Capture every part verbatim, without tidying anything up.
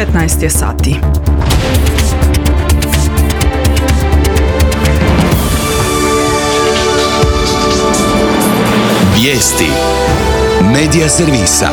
petnaest je sati. Vijesti Medija servisa.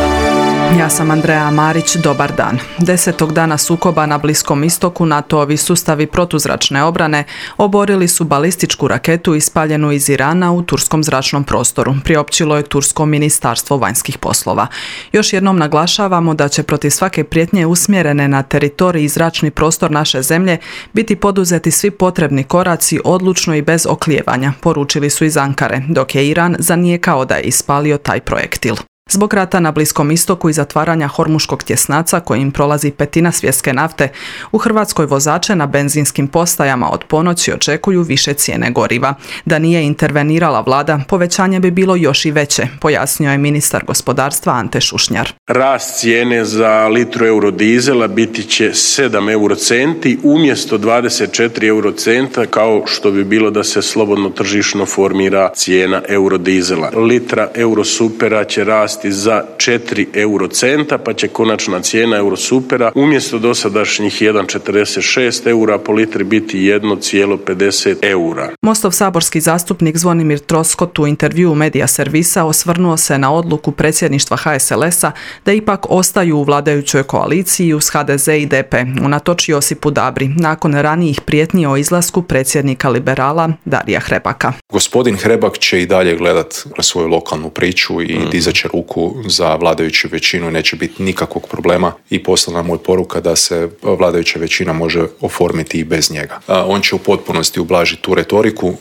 Ja sam Andreja Marić, dobar dan. Desetog dana sukoba na Bliskom istoku NATO-ovi sustavi protuzračne obrane oborili su balističku raketu ispaljenu iz Irana u turskom zračnom prostoru, priopćilo je Tursko ministarstvo vanjskih poslova. Još jednom naglašavamo da će protiv svake prijetnje usmjerene na teritorij i zračni prostor naše zemlje biti poduzeti svi potrebni koraci odlučno i bez oklijevanja, poručili su iz Ankare, dok je Iran zanijekao da je ispalio taj projektil. Zbog rata na Bliskom istoku i zatvaranja Hormuškog tjesnaca kojim prolazi petina svjetske nafte, u Hrvatskoj vozače na benzinskim postajama od ponoći očekuju više cijene goriva. Da nije intervenirala vlada, povećanje bi bilo još i veće, pojasnio je ministar gospodarstva Ante Šušnjar. Rast cijene za litru eurodizela biti će sedam eurocenti umjesto dvadeset četiri eurocenta kao što bi bilo da se slobodno tržišno formira cijena eurodizela. Litra eurosupera će rasti za četiri eurocenta, pa će konačna cijena eurosupera umjesto dosadašnjih jedan zarez četrdeset šest eura po litri biti jedan zarez pedeset eura. Mostov saborski zastupnik Zvonimir Troskot u intervjuu Medija servisa osvrnuo se na odluku predsjedništva H S L S-a da ipak ostaju u vladajućoj koaliciji uz H D Z i D P, unatoč Josipu Dabri, nakon ranijih prijetnji o izlasku predsjednika liberala Darija Hrebaka. Gospodin Hrebak će i dalje gledat na svoju lokalnu priču i mm. dizat će ruku za vladajuću većinu, neće biti nikakvog problema i poslana mu je poruka da se vladajuća većina može oformiti i bez njega. On će u potpunosti ublažiti tu retoriku,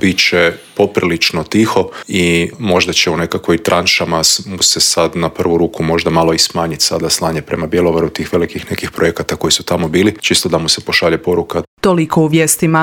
bit će poprilično tiho i možda će u nekakvoj tranšama mu se sad na prvu ruku možda malo i smanjiti sada slanje prema Bjelovaru tih velikih nekih projekata koji su tamo bili, čisto da mu se pošalje poruka. Toliko u vijestima.